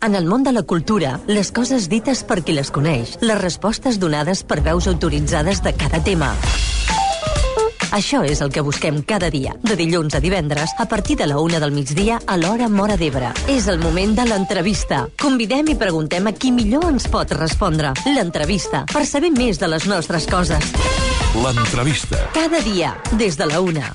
En el món de la cultura, les coses dites per qui les coneix, les respostes donades per veus autoritzades de cada tema. Això és el que busquem cada dia, de dilluns a divendres, a partir de la 1 del migdia a l'hora Móra d'Ebre. És el moment de l'entrevista. Convidem i preguntem a qui millor ens pot respondre. L'entrevista, per saber més de les nostres coses. L'entrevista. Cada dia, des de la 1.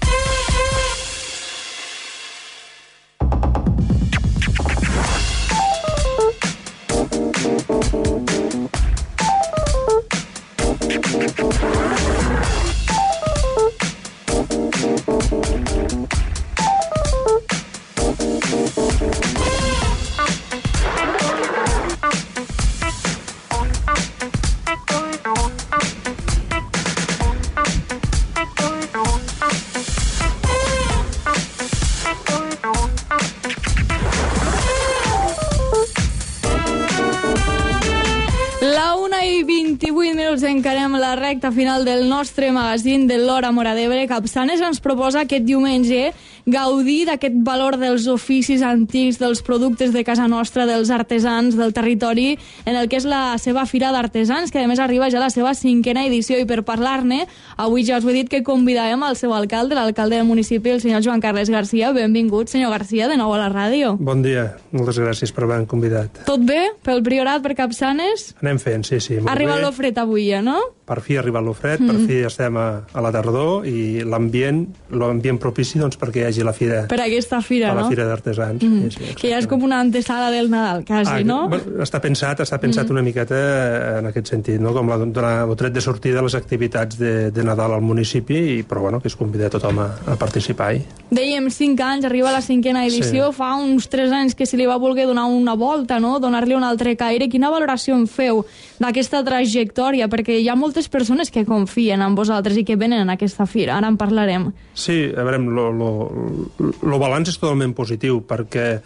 Encarem la recta final del nostre magazín de l'Hora Móra d'Ebre. Capçanes ens proposa aquest diumenge gaudir d'aquest valor dels oficis antics, dels productes de casa nostra, dels artesans del territori, en el que és la seva Fira d'Artesans, que a més arriba ja a la seva 5a edició. I per parlar-ne, avui ja us ho he dit que convidàvem al seu alcalde, l'alcalde del municipi, el senyor Joan Carles Garcia. Benvingut, senyor Garcia, de nou a la ràdio. Bon dia, moltes gràcies per haver-me convidat. Tot bé? Pel Priorat, per Capçanes? Anem fent, sí, molt bé. Arriba l'ofret avui ja, no? Per fi ha arribat l'ofret, per fi estem a la tardor i l'ambient propici doncs, perquè hi hagi la fira. Per aquesta fira, no? La fira d'artesans. Sí, que ja és com una antesala del Nadal, quasi, no? Està pensat una miqueta en aquest sentit, no? Com donar el tret de sortida a les activitats de Nadal al municipi, però bueno, que es convida tothom a participar-hi. Dèiem 5 anys, arriba a la 5a edició, sí. Fa uns 3 anys que se li va voler donar una volta, no? Donar-li un altre caire. Quina valoració en feu d'aquesta trajectòria? Perquè hi ha moltes persones que confien en vosaltres i que venen a aquesta fira. Ara en parlarem. Sí, a veure, el balanç és totalment positiu, perquè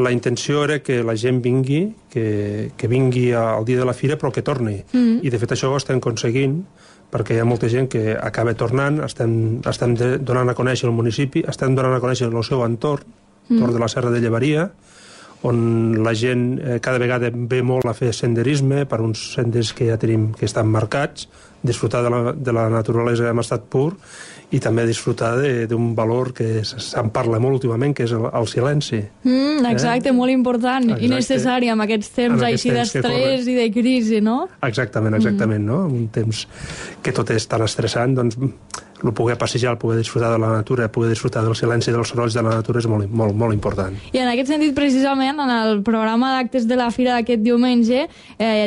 la intenció era que la gent vingui, que vingui al dia de la fira, però que torni. I de fet això ho estem aconseguint, perquè hi ha molta gent que acaba tornant, estem donant a conèixer el municipi, estem donant a conèixer el seu entorn, entorn de la Serra de Llevaria, on la gent cada vegada ve molt a fer senderisme per uns senders que ja tenim que estan marcats, disfrutar de la naturalesa en estat pur i també disfrutar d'un valor que se'n parla molt últimament, que és el silenci. Exacte, molt important. Exacte. I necessari en aquests temps així d'estrès i de crisi, no? Exactament, no? Un temps que tot és tan estressant, doncs el poder passejar, el poder disfrutar de la natura, poder disfrutar del silenci i dels sorolls de la natura és molt important. I en aquest sentit, precisament, en el programa d'actes de la Fira d'aquest diumenge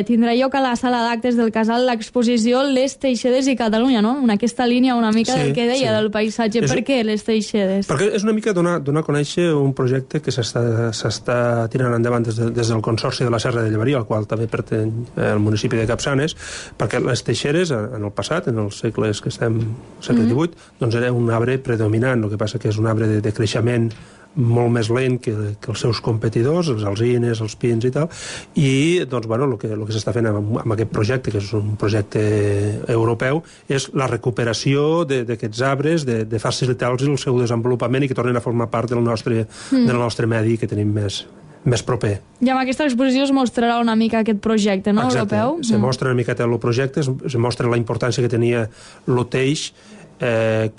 tindrà lloc a la sala d'actes del Casal l'exposició Les Teixedes i Catalunya, no? En aquesta línia una mica del que deia del paisatge. Per què Les Teixedes? Perquè és una mica donar a conèixer un projecte que s'està tirant endavant des del Consorci de la Serra de Llevaria, al qual també pertany el municipi de Capçanes, perquè les teixeres, en el passat, en els segles que estem, segle XVIII, doncs era un arbre predominant, el que passa que és un arbre de creixement molt més lent que els seus competidors, els alzines, els pins i tal, i doncs, bueno, el que s'està fent amb aquest projecte, que és un projecte europeu, és la recuperació d'aquests arbres, de facilitar-los el seu desenvolupament i que tornin a formar part del nostre medi que tenim més proper. I amb aquesta exposició es mostrarà una mica aquest projecte, no? Exacte. Europeu? Se mostra una miqueta el projecte, se mostra la importància que tenia el teix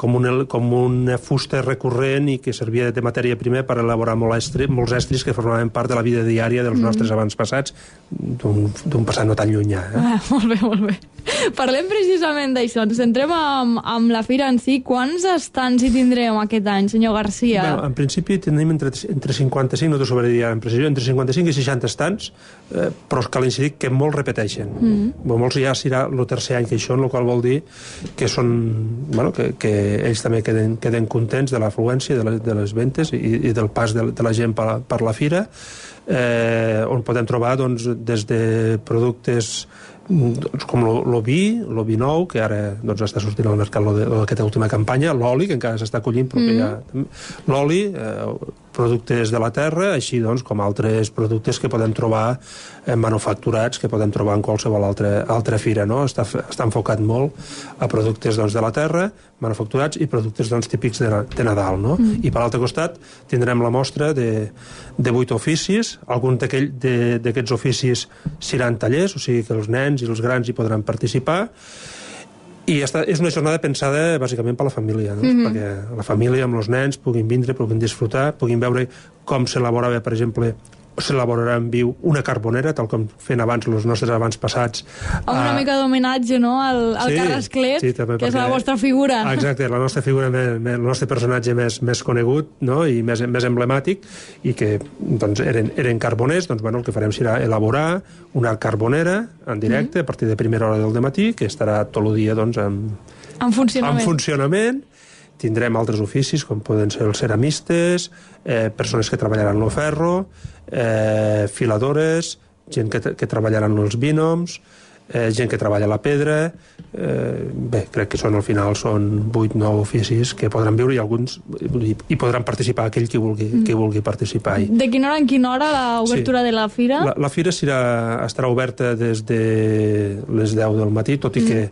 com una fusta recurrent i que servia de matèria primera per elaborar molts estris que formaven part de la vida diària dels nostres avantpassats d'un passat no tan llunyà. Molt bé. Parlem precisament d'això. Ens centrem amb la fira en si. Quants estants hi tindrem aquest any, senyor Garcia? Bueno, en principi tenim entre 55, no t'ho sabré dir amb precisió, entre 55 i 60 estants, però cal incidir que molts repeteixen. Molts ja serà el tercer any que això, el qual vol dir que són, bueno, que ells també queden contents de l'afluència, de les ventes i del pas de la gent per la fira, on podem trobar doncs, des de productes com el vi nou, que ara està sortint al mercat aquesta última campanya, l'oli, que encara s'està collint, però que l'oli, productes de la terra, així com altres productes que podem trobar manufacturats, que podem trobar en qualsevol altra fira, no? Està enfocat molt a productes de la terra, manufacturats i productes típics de Nadal, no? I per l'altre costat tindrem la mostra de 8 oficis. Alguns d'aquests oficis seran tallers, o sigui que els nens i els grans hi podran participar, i és una jornada pensada bàsicament per la família, no? Perquè la família amb els nens puguin vindre, puguin disfrutar, puguin veure com s'elaborava, per exemple, s'elaborarà en viu una carbonera, tal com feien abans els nostres avantpassats. Amb una mica d'homenatge, no?, al Carrasclet, que és la vostra figura. Exacte, la nostra figura, el nostre personatge més conegut, no?, i més emblemàtic, i que eren carboners. El que farem serà elaborar una carbonera en directe a partir de primera hora del dematí, que estarà tot el dia en funcionament. Tindrem altres oficis, com poden ser els ceramistes, persones que treballaran el ferro, filadores, gent que treballaran els bínoms, gent que treballa la pedra. Bé, crec que al final són 8-9 oficis que podran viure, i alguns hi podran participar aquell que vulgui participar. De quina hora en quina hora l'obertura de la fira? La fira estarà oberta des de les 10 del matí, tot i que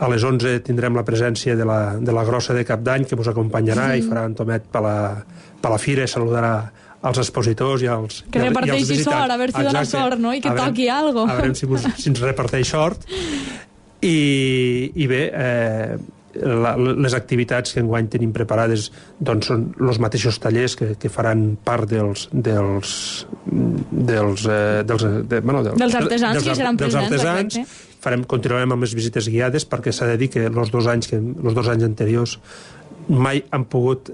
a les 11 tindrem la presència de la grossa de Cap d'Any, que us acompanyarà i farà en tomet per la fira, i saludarà als expositors i als visitants. Que reparteixi sort, a veure si dona sort, no? I que toqui alguna cosa. A veure si ens reparteix sort. I bé, les activitats que enguany tenim preparades són els mateixos tallers que faran part dels artesans que seran presents. Continuarem amb les visites guiades, perquè s'ha de dir que els 2 anys anteriors mai han pogut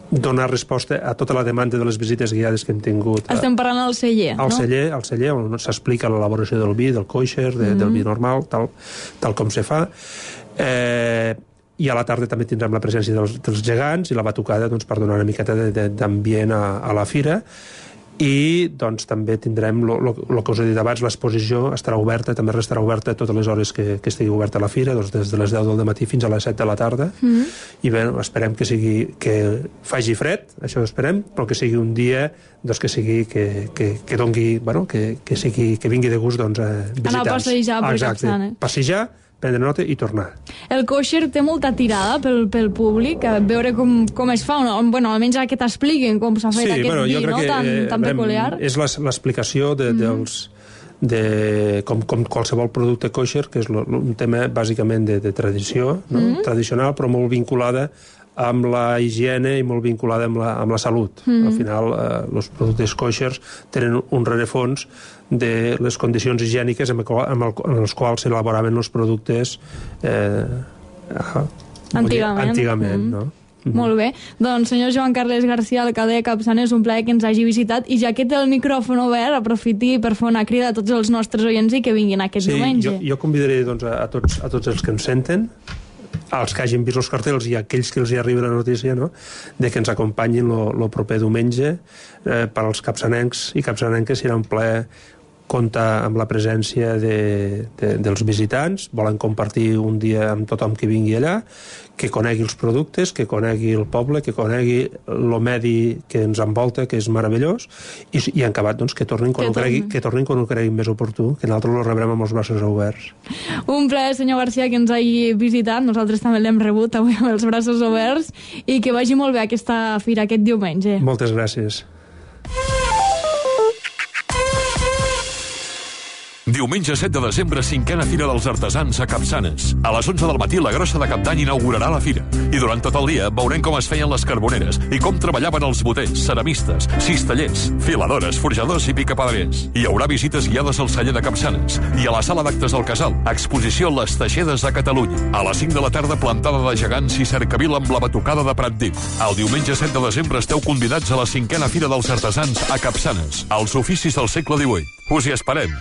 donar resposta a tota la demanda de les visites guiades que hem tingut. Estem parlant al celler, no? Al celler, on s'explica l'elaboració del vi, del kosher, del vi normal, tal com se fa. I a la tarda també tindrem la presència dels gegants i la batucada, per donar una miqueta d'ambient a la fira. I també tindrem el que us he dit abans, l'exposició estarà oberta, també restarà oberta totes les hores que estigui oberta la fira, des de les 10 del matí fins a les 7 de la tarda. I bé, esperem que faci fred, això esperem, però que sigui un dia que dongui, que vingui de gust visitants. Anar a passejar per Capçanes. Passejar, prendre nota i tornar. El kosher té molta tirada pel públic, a veure com es fa, almenys que t'expliquin com s'ha fet aquest vi, no? Tan peculiar. És l'explicació com qualsevol producte kosher, que és un tema bàsicament de tradició, tradicional, però molt vinculada amb la higiene i molt vinculada amb la salut. Al final, els productes koshers tenen un rerefons de les condicions higièniques en les quals s'elaboraven els productes antigament, no? Molt bé. Doncs, senyor Joan Carles García, alcalde de Capçanes, un plaer que ens hagi visitat, i ja que té el micròfon obert, aprofiti per fer una crida a tots els nostres oients i que vinguin aquest diumenge. Jo convidaré a tots els que ens senten, als que hagin vist els cartells i aquells que els hi arriba la notícia, no?, de que ens acompanyin el proper diumenge. Per als capçanencs i capçanenques serà un plaer comptar amb la presència dels visitants. Volen compartir un dia amb tothom que vingui allà, que conegui els productes, que conegui el poble, que conegui el medi que ens envolta, que és meravellós, i en acabat, que tornin quan ho creguin més oportú, que nosaltres el rebrem amb els braços oberts. Un plaer, senyor García, que ens hagi visitat. Nosaltres també l'hem rebut avui amb els braços oberts, i que vagi molt bé aquesta fira aquest diumenge. Moltes gràcies. Diumenge 7 de desembre, 5a Fira dels Artesans a Capçanes. A les 11 del matí, la grossa de Cap d'Any inaugurarà la fira. I durant tot el dia veurem com es feien les carboneres i com treballaven els boters, ceramistes, cistellers, filadores, forjadors i picapedrers. Hi haurà visites guiades al celler de Capçanes i a la sala d'actes del Casal, exposició Les Teixedes de Catalunya. A les 5 de la tarda, plantada de gegants i cercavila amb la batucada de Pratdip. El diumenge 7 de desembre esteu convidats a la 5a Fira dels Artesans a Capçanes, als oficis del segle XVIII. Us hi esperem.